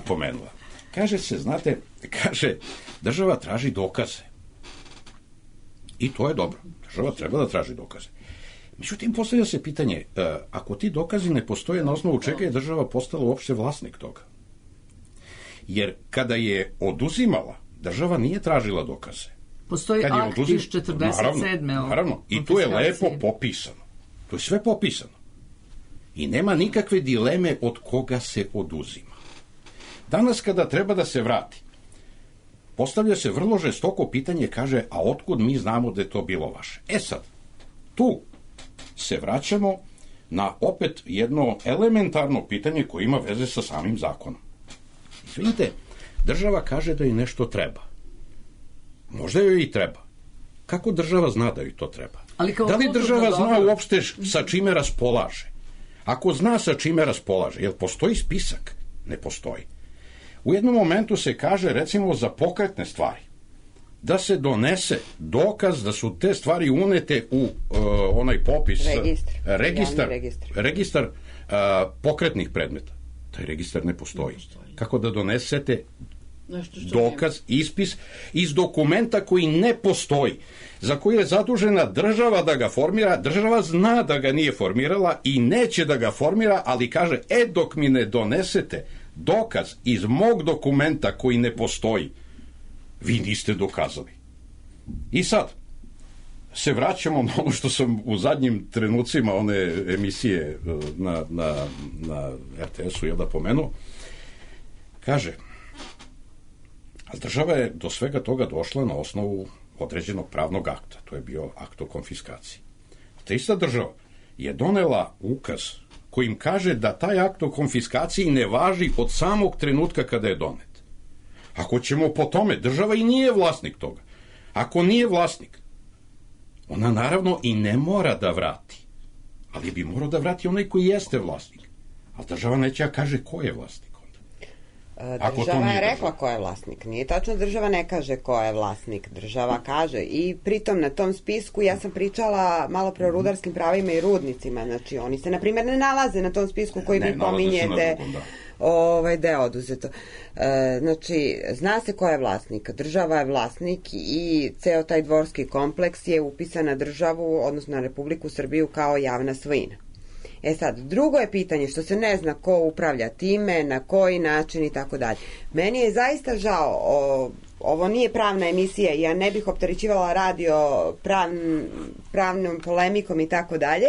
Pomenula. Kaže se, znate, država traži dokaze. I to je dobro. Država treba da traži dokaze. Međutim, postavlja se pitanje, ako ti dokazi ne postoje, na osnovu čega je država postala uopšte vlasnik toga? Jer kada je oduzimala, država nije tražila dokaze. Postoji akt iz 47. Naravno. I tu je lepo popisano. To je sve popisano. I nema nikakve dileme od koga se oduzima. Danas kada treba da se vrati, postavlja se vrlo žestoko pitanje, kaže, a otkud mi znamo da je to bilo vaše? E sad, tu se vraćamo na opet jedno elementarno pitanje koje ima veze sa samim zakonom. Izvinite, država kaže da joj nešto treba. Možda joj i treba. Kako država zna da joj to treba? Da li država zna uopšte sa čime raspolaže? Ako zna sa čime raspolaže, jel postoji spisak? Ne postoji. U jednom momentu se kaže, recimo, za pokretne stvari, da se donese dokaz da su te stvari unete u onaj popis, registar pokretnih predmeta. Taj registar ne postoji. Kako da donesete dokaz, ispis iz dokumenta koji ne postoji, za koji je zadužena država da ga formira, država zna da ga nije formirala i neće da ga formira, ali kaže, dok mi ne donesete dokaz iz mog dokumenta koji ne postoji, vi niste dokazali. I sad se vraćamo na ono što sam u zadnjim trenucima one emisije na RTS-u da pomenuo. Kaže, a država je do svega toga došla na osnovu određenog pravnog akta. To je bio akt o konfiskaciji. Ta ista država je donela ukaz kojim kaže da taj akt o konfiskaciji ne važi od samog trenutka kada je donet. Ako ćemo po tome, država i nije vlasnik toga. Ako nije vlasnik, ona naravno i ne mora da vrati. Ali bi morao da vrati onaj koji jeste vlasnik. A država neće kaže ko je vlasnik. Država je rekla ko je vlasnik. Nije tačno, država ne kaže ko je vlasnik. Država kaže i pritom na tom spisku, ja sam pričala malo pre o rudarskim pravima i rudnicima, znači oni se na primjer ne nalaze na tom spisku koji vi pominjete da je oduzeto. Znači, zna se ko je vlasnik. Država je vlasnik i ceo taj dvorski kompleks je upisan na državu, odnosno na Republiku Srbiju kao javna svojina. E sad, drugo je pitanje što se ne zna ko upravlja time, na koji način i tako dalje. Meni je zaista žao, ovo nije pravna emisija, ja ne bih opterećivala radio pravnom polemikom i tako dalje,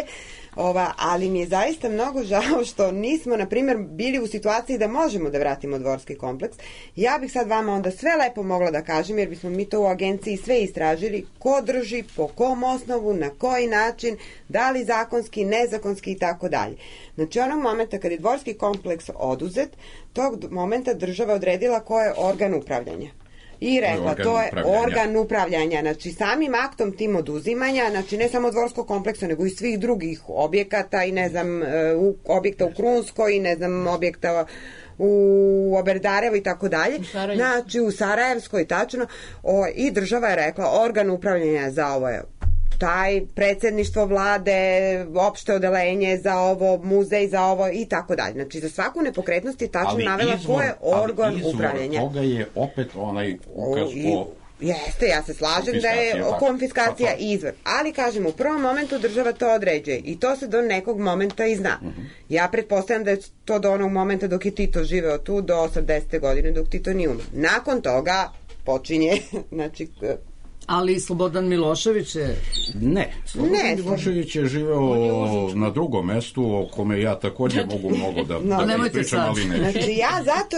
ali mi je zaista mnogo žao što nismo, na primjer, bili u situaciji da možemo da vratimo dvorski kompleks. Ja bih sad vama onda sve lepo mogla da kažem, jer bismo mi to u agenciji sve istražili, ko drži, po kom osnovu, na koji način, da li zakonski, nezakonski i tako dalje. Znači, onog momenta kad je dvorski kompleks oduzet, tog momenta država odredila ko je organ upravljanja. I rekla, to je organ upravljanja, znači samim aktom tim oduzimanja, znači ne samo dvorskog kompleksa, nego i svih drugih objekata i ne znam, objekta u Krunskoj i ne znam, objekta u Oberdarevu i tako dalje, znači u Sarajevskoj tačno, i država je rekla, organ upravljanja za ovo je taj predsjedništvo vlade, opšte odelenje za ovo, muzej za ovo i tako dalje. Znači, za svaku nepokretnost je tačno navela ko je organ upravljanja. Ali izvor toga je opet onaj ukaz o Jeste, ja se slažem da je konfiskacija izvor. Ali, kažem, u prvom momentu država to određuje i to se do nekog momenta i zna. Ja pretpostavljam da je to do onog momenta dok je Tito živeo tu, do 80. godine, dok Tito nije umro. Nakon počinje, znači... Ali Slobodan Milošević je... Ne, Slobodan Milošević je živeo na drugom mestu o kome ja također mogu mnogo da ispričam, ali ne. Znači ja zato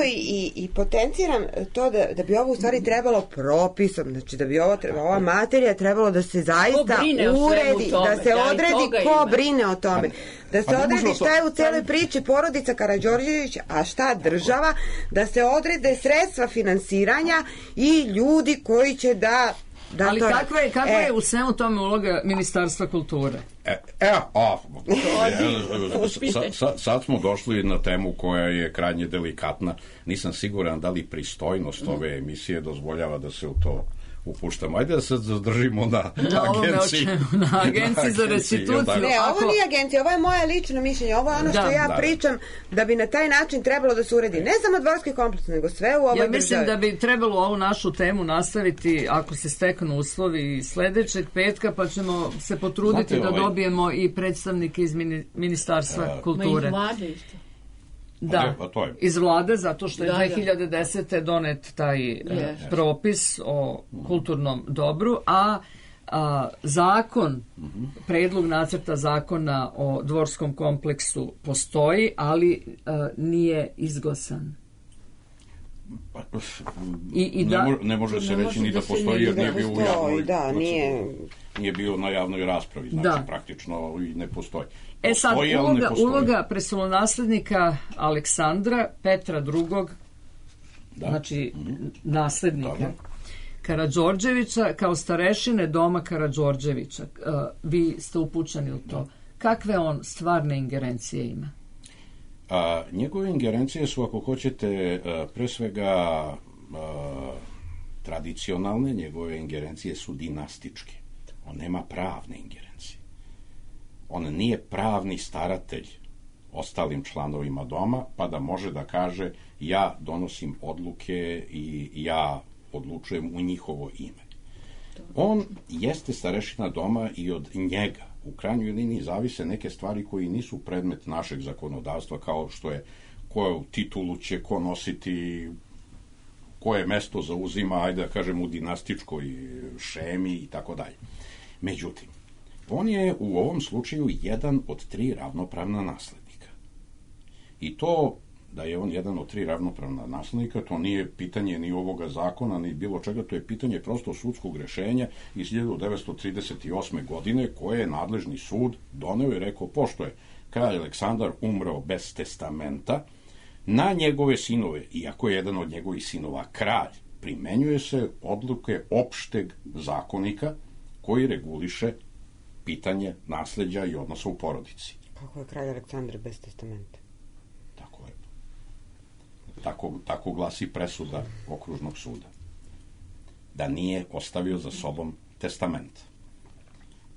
i potenciram to da bi ovo u stvari trebalo propisom, znači da bi ova materija trebalo da se zaista uredi, da se odredi ko brine o tome. Da se odredi šta je u celoj priči porodica Karađorđević, a šta država, da se odrede sredstva finansiranja i ljudi koji će ali kakva je u svemu tome uloga Ministarstva kulture? Sad smo došli na temu koja je krajnje delikatna. Nisam siguran da li pristojnost ove emisije dozvoljava da se u to upuštamo. Ajde da se zadržimo na agenciji. Na agenciji za restituciju. Ne, ovo nije agencija, ovo je moje lično mišljenje. Ovo je ono što ja pričam da bi na taj način trebalo da se uredi. Ne samo dvorski kompleks, nego sve u ovoj državi. Ja mislim da bi trebalo ovu našu temu nastaviti, ako se steknu uslovi, sledećeg petka, pa ćemo se potruditi da dobijemo i predstavnike iz Ministarstva kulture. Ma iz vlade isto. Da, iz vlade, zato što je 2010. donet taj propis o kulturnom dobru, a zakon, predlog nacrta zakona o dvorskom kompleksu postoji, ali nije izglasan. Ne može se reći ni da postoji, jer nije bio u javnoj proceduri. Nije bio na javnoj raspravi, znači praktično i ne postoji. Sad, uloga prestolonaslednika Aleksandra, Petra II, znači naslednika Karađorđevića, kao starešine doma Karađorđevića. Vi ste upućeni u to. Kakve on stvarne ingerencije ima? Njegove ingerencije su, ako hoćete, pre svega tradicionalne, njegove ingerencije su dinastičke. On nema pravne ingerencije. On nije pravni staratelj ostalim članovima doma, pa da može da kaže ja donosim odluke i ja odlučujem u njihovo ime. On jeste starešina doma i od njega u krajnjoj liniji zavise neke stvari koji nisu predmet našeg zakonodavstva, kao što je koju titulu će ko nositi, koje mesto zauzima, ajde da kažem, u dinastičkoj šemi i tako dalje. Međutim, on je u ovom slučaju jedan od 3 ravnopravna naslednika. I to da je on jedan od 3 ravnopravna naslednika, to nije pitanje ni ovoga zakona, ni bilo čega, to je pitanje prosto sudskog rešenja iz 1938. godine koje je nadležni sud doneo i rekao, pošto je kralj Aleksandar umreo bez testamenta, na njegove sinove, iako je jedan od njegovih sinova kralj, primenjuje se odluke opšteg zakonika koji reguliše pitanje nasleđa i odnosa u porodici. Kako je kralj Aleksandar bez testamenta? Tako je. Tako glasi presuda okružnog suda. Da nije ostavio za sobom testament.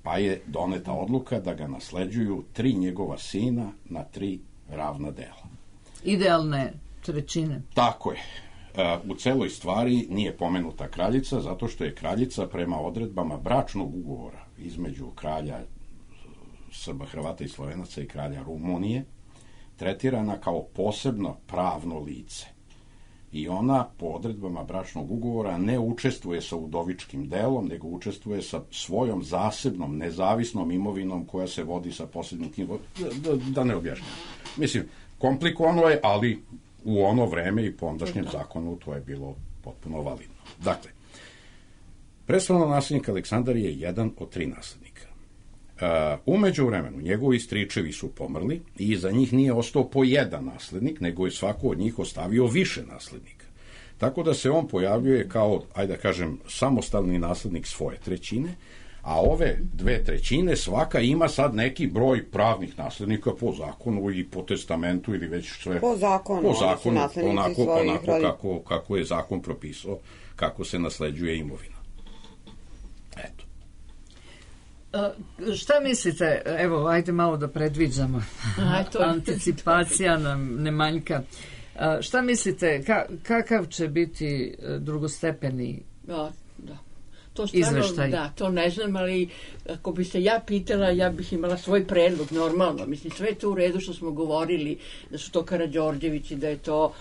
Pa je doneta odluka da ga nasleđuju 3 njegova sina na 3 ravna dela. Idealne trećine. Tako je. U celoj stvari nije pomenuta kraljica, zato što je kraljica prema odredbama bračnog ugovora između kralja Srba, Hrvata i Slovenaca i kralja Rumunije tretirana kao posebno pravno lice. I ona po odredbama bračnog ugovora ne učestvuje sa udovičkim delom, nego učestvuje sa svojom zasebnom, nezavisnom imovinom koja se vodi sa posebnim da ne objašnjam. Mislim, komplikovano je, ali u ono vreme i po ondašnjem zakonu to je bilo potpuno validno. Dakle, prestolonaslednik Aleksandar je jedan od 3 naslednika. U međuvremenu njegovi stričevi su pomrli i za njih nije ostao po jedan naslednik, nego je svako od njih ostavio više naslednika. Tako da se on pojavljuje kao, ajde da kažem, samostalni naslednik svoje trećine, a ove 2/3 svaka ima sad neki broj pravnih naslednika po zakonu i po testamentu ili već sve. Po zakonu onako kako je zakon propisao, kako se nasleđuje imovina. Eto. Šta mislite, evo, ajde malo da predviđamo, anticipacija nam ne manjka. Šta mislite, kakav će biti drugostepeni izveštaj? Da, to ne znam, ali ako bi se ja pitala, ja bih imala svoj predlog, normalno. Mislim, sve je to u redu što smo govorili, da su to Karađorđevići, da je to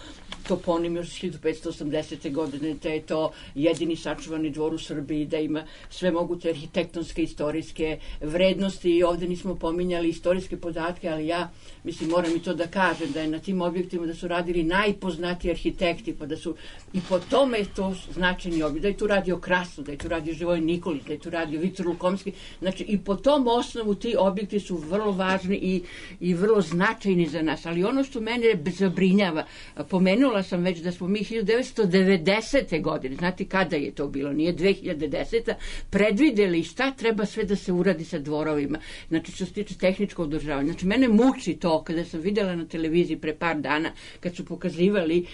toponim još 1580. godine, da je to jedini sačuvani dvor u Srbiji, da ima sve moguće arhitektonske, istorijske vrednosti i ovde nismo pominjali istorijske podatke, ali ja, mislim, moram i to da kažem, da je na tim objektima da su radili najpoznatiji arhitekti, pa da su i po tome je to značajni objekt, da je tu radio Krasno, da je tu radio Živojin Nikolić, da je tu radio Viktor Lukomski, znači i po tom osnovu ti objekti su vrlo važni i vrlo značajni za nas, ali ono što mene zabrinjava, pomenula sam već da smo mi 1990. godine, znate kada je to bilo, nije 2010. predvideli šta treba sve da se uradi sa dvorovima, znači što se tiče tehničkog održavanja. Znači mene muči to kada sam videla na televiziji pre par dana kad su pokazivali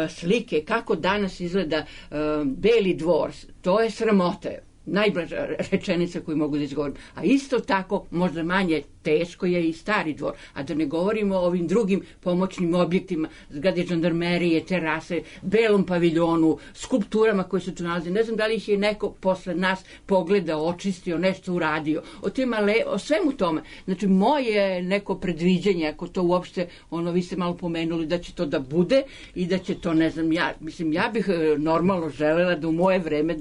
slike kako danas izgleda Beli dvor, to je sramota. Najblaža rečenica koju mogu da izgovorim. A isto tako, možda manje teško je i Stari dvor. A da ne govorimo o ovim drugim pomoćnim objektima, zgrade žandarmerije, terase, Belom paviljonu, skulpturama koje se tu nalaze. Ne znam da li ih je neko posle nas pogledao, očistio, nešto uradio. O svemu tome. Znači, moje neko predviđenje, ako to uopšte, vi ste malo pomenuli da će to da bude i da će to, ne znam, ja bih normalno želela da u moje vreme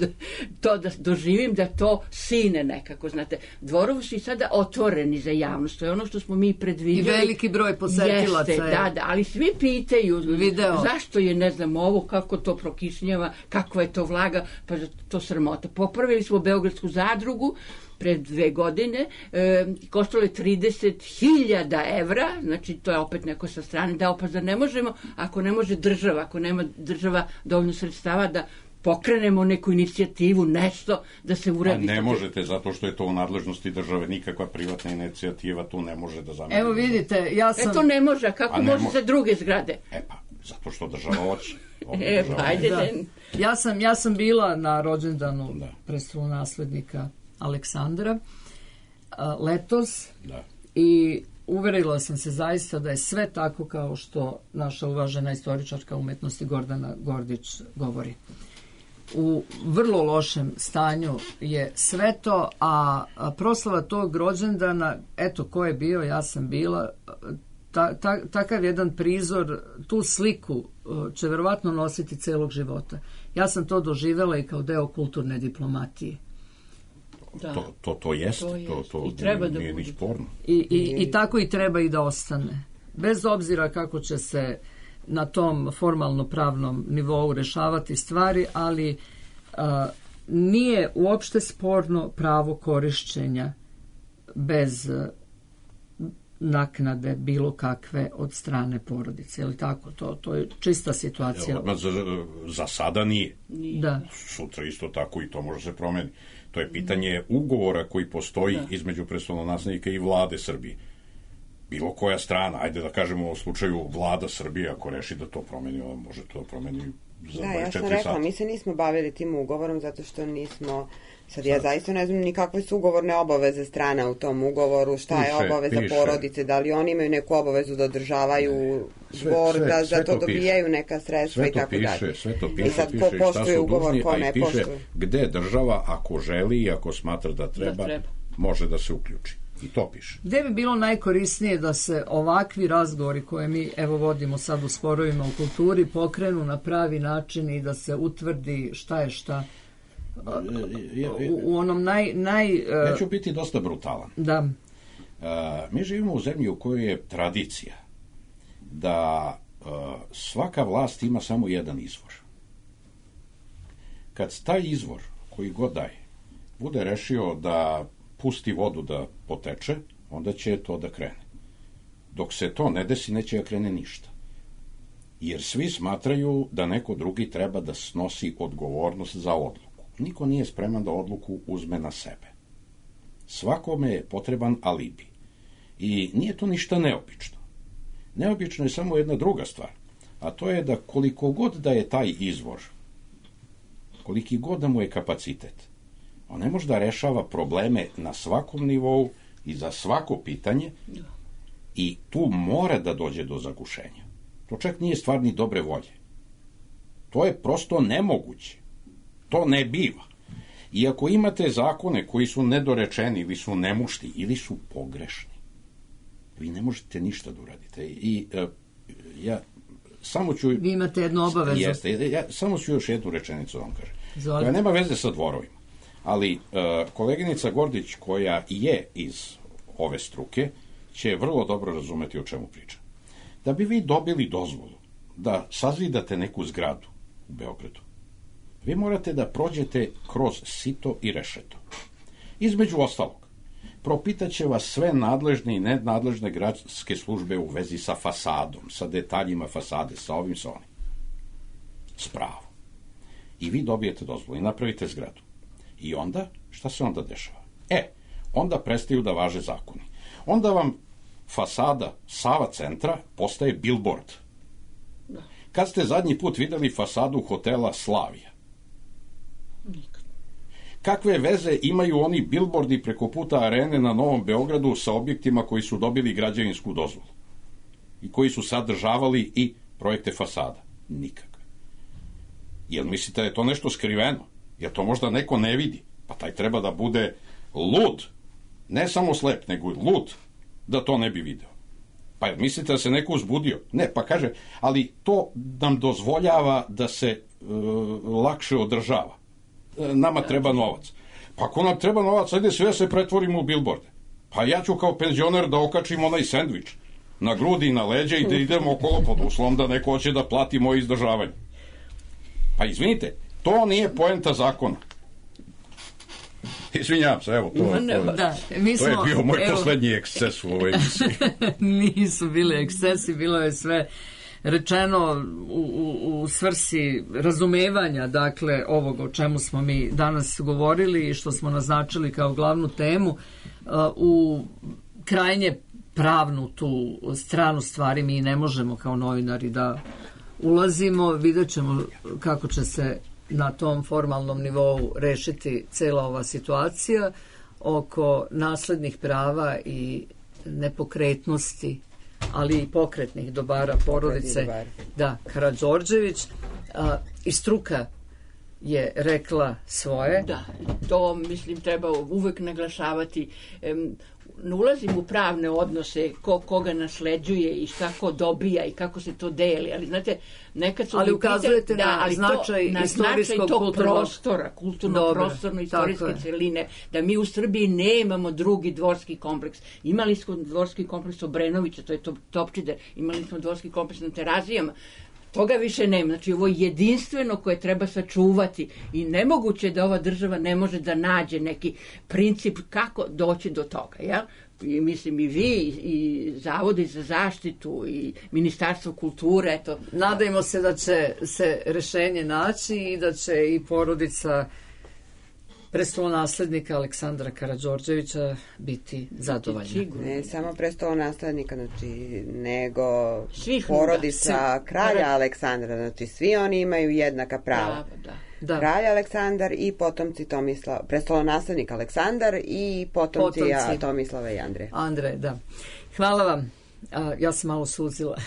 to da doživim, da to sine nekako, znate. Dvorovi su i sada otvoreni za javnost, to je ono što smo mi predvidjeli. I veliki broj posetilaca. Jeste, da, ali svi pitaju zašto je, ne znam, ovo, kako to prokišnjava, kakva je to vlaga, pa to sramota. Popravili smo Beogradsku zadrugu pred 2 godine, koštalo je 30.000 evra, znači to je opet neko sa strane dao, pa da ne možemo, ako ne može država, ako nema država dovoljno sredstava da pokrenemo neku inicijativu, nešto da se uradi. Ne možete, zato što je to u nadležnosti države, nikakva privatna inicijativa tu ne može da zameni. Evo vidite, ja sam... to ne može, kako može za druge zgrade? Zato što država hoće. Ja sam bila na rođendanu prestolonaslednika Aleksandra letos i uverila sam se zaista da je sve tako kao što naša uvažena istoričarka umetnosti Gordana Gordić govori. U vrlo lošem stanju je sve to, a proslava tog rođendana, eto ko je bio, ja sam bila, takav jedan prizor, tu sliku će verovatno nositi celog života. Ja sam to doživela i kao deo kulturne diplomatije. To jeste, to nije ni sporno. I tako i treba i da ostane. Bez obzira kako će se na tom formalno-pravnom nivou rešavati stvari, ali nije uopšte sporno pravo korišćenja bez naknade bilo kakve od strane porodice. Je li tako? To je čista situacija. Za sada nije. Da. Sutra isto tako i to može se promeniti. To je pitanje ugovora koji postoji između prestolonaslednika i vlade Srbije. Bilo koja strana, ajde da kažemo u slučaju vlada Srbije, ako reši da to promeni, može to da promeni za 24 sata. Ja sam rekla, mi se nismo bavili tim ugovorom zato što nismo, sad ja zaista ne znam ni kakve su ugovorne obaveze strana u tom ugovoru, šta je obaveza porodice, da li oni imaju neku obavezu da održavaju dvor, da za to dobijaju neka sredstva i tako dalje. Sve to piše, i sad ko poštuje ugovor, ko ne poštuje. Gde država, ako želi i ako smatra da treba, može da se uključi. I to piše. Gde bi bilo najkorisnije da se ovakvi razgovori koje mi evo vodimo sad u sporovima u kulturi pokrenu na pravi način i da se utvrdi šta je šta u onom Ja ću biti dosta brutalan. Da. Mi živimo u zemlji u kojoj je tradicija da svaka vlast ima samo jedan izvor. Kad taj izvor, koji god daje, bude rešio da pusti vodu da poteče, onda će to da krene. Dok se to ne desi, neće da krene ništa. Jer svi smatraju da neko drugi treba da snosi odgovornost za odluku. Niko nije spreman da odluku uzme na sebe. Svakome je potreban alibi. I nije to ništa neobično. Neobično je samo jedna druga stvar, a to je da koliko god da je taj izvor, koliki god da mu je kapacitet, on ne može da rešava probleme na svakom nivou i za svako pitanje i tu mora da dođe do zagušenja. To čak nije stvar ni dobre volje. To je prosto nemoguće. To ne biva. I ako imate zakone koji su nedorečeni, ili su nemušti, ili su pogrešni, vi ne možete ništa da uradite. I ja samo ću... Vi imate jednu obavezu. Jeste, ja samo ću još jednu rečenicu vam kažem. Koja nema veze sa dvorovima. Ali koleginica Gordić, koja je iz ove struke, će vrlo dobro razumeti o čemu pričam. Da bi vi dobili dozvolu da sazidate neku zgradu u Beogradu, vi morate da prođete kroz sito i rešeto. Između ostalog, propitaće vas sve nadležne i nenadležne gradske službe u vezi sa fasadom, sa detaljima fasade, sa ovim, sa onim. S pravom. I vi dobijete dozvolu i napravite zgradu. I onda, šta se onda dešava? Onda prestaju da važe zakoni. Onda vam fasada Sava centra postaje billboard. Kad ste zadnji put videli fasadu hotela Slavija? Nikad. Kakve veze imaju oni billboardi preko puta arene na Novom Beogradu sa objektima koji su dobili građevinsku dozvolu i koji su sadržavali i projekte fasada? Nikakve. Jel mislite da je to nešto skriveno? Jer to možda neko ne vidi? Pa taj treba da bude lud, ne samo slep, nego lud, da to ne bi video. Pa jel mislite da se neko uzbudio? Ne, pa kaže, ali to nam dozvoljava da se lakše održava. Nama treba novac. Pa ako nam treba novac, ajde sve se pretvorimo u billboarde. Pa ja ću kao penzioner da okačim onaj sendvič na grudi i na leđe i da idemo okolo pod uslovom da neko hoće da plati moje izdržavanje. Pa izvinite, to nije poenta zakona. Izvinjavam se, evo, to je bio moj poslednji eksces u ovoj emisiji. Nisu bili ekscesi, bilo je sve rečeno u svrsi razumevanja, dakle, ovog o čemu smo mi danas govorili i što smo naznačili kao glavnu temu. U krajnje pravnu tu stranu stvari mi ne možemo kao novinari da ulazimo, vidjet ćemo kako će se na tom formalnom nivou rešiti cela ova situacija oko naslednih prava i nepokretnosti, ali i pokretnih dobara porodice Karađorđević. I struka je rekla svoje. Da, to mislim treba uvek naglašavati. Ne ulazim u pravne odnose, koga nasleđuje i šta ko dobija i kako se to deli, ali znate, nekad su... Ali ukazujete na značaj istorijskog prostora, kulturno-prostorno-istorijske celine, da mi u Srbiji nemamo drugi dvorski kompleks. Imali smo dvorski kompleks Obrenovića, to je Topčider, imali smo dvorski kompleks na Terazijama, toga više nema. Znači, ovo je jedinstveno koje treba sačuvati i nemoguće da ova država ne može da nađe neki princip kako doći do toga, jel? I mislim i vi, i Zavodi za zaštitu, i Ministarstvo kulture, eto. Nadajmo se da će se rešenje naći i da će i porodica prestolonaslednika Aleksandra Karađorđevića biti zadovoljna. Ne samo prestolonaslednika, nego porodica kralja Aleksandra, znači svi oni imaju jednaka prava. Da. Kralj Aleksandar i potomci prestolonaslednik Aleksandar i potomci Tomislava i Andreja. Andrej, da. Hvala vam. Ja sam malo suzila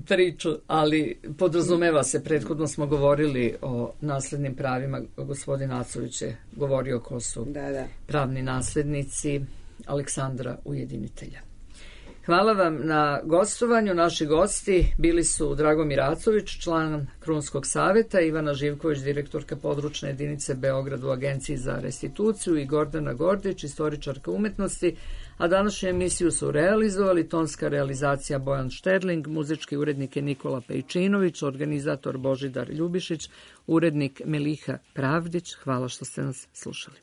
priču, ali podrazumeva se, prethodno smo govorili o naslednim pravima, gospodin Acović je govorio ko su pravni naslednici Aleksandra Ujedinitelja. Hvala vam na gostovanju. Naši gosti bili su Dragomir Acović, član Krunskog saveta, Ivana Živković, direktorka područne jedinice Beograd u Agenciji za restituciju i Gordana Gordić, istoričarka umetnosti, a današnju emisiju su realizovali tonska realizacija Bojan Šterling, muzički urednik je Nikola Pejčinović, organizator Božidar Ljubišić, urednik Meliha Pravdić. Hvala što ste nas slušali.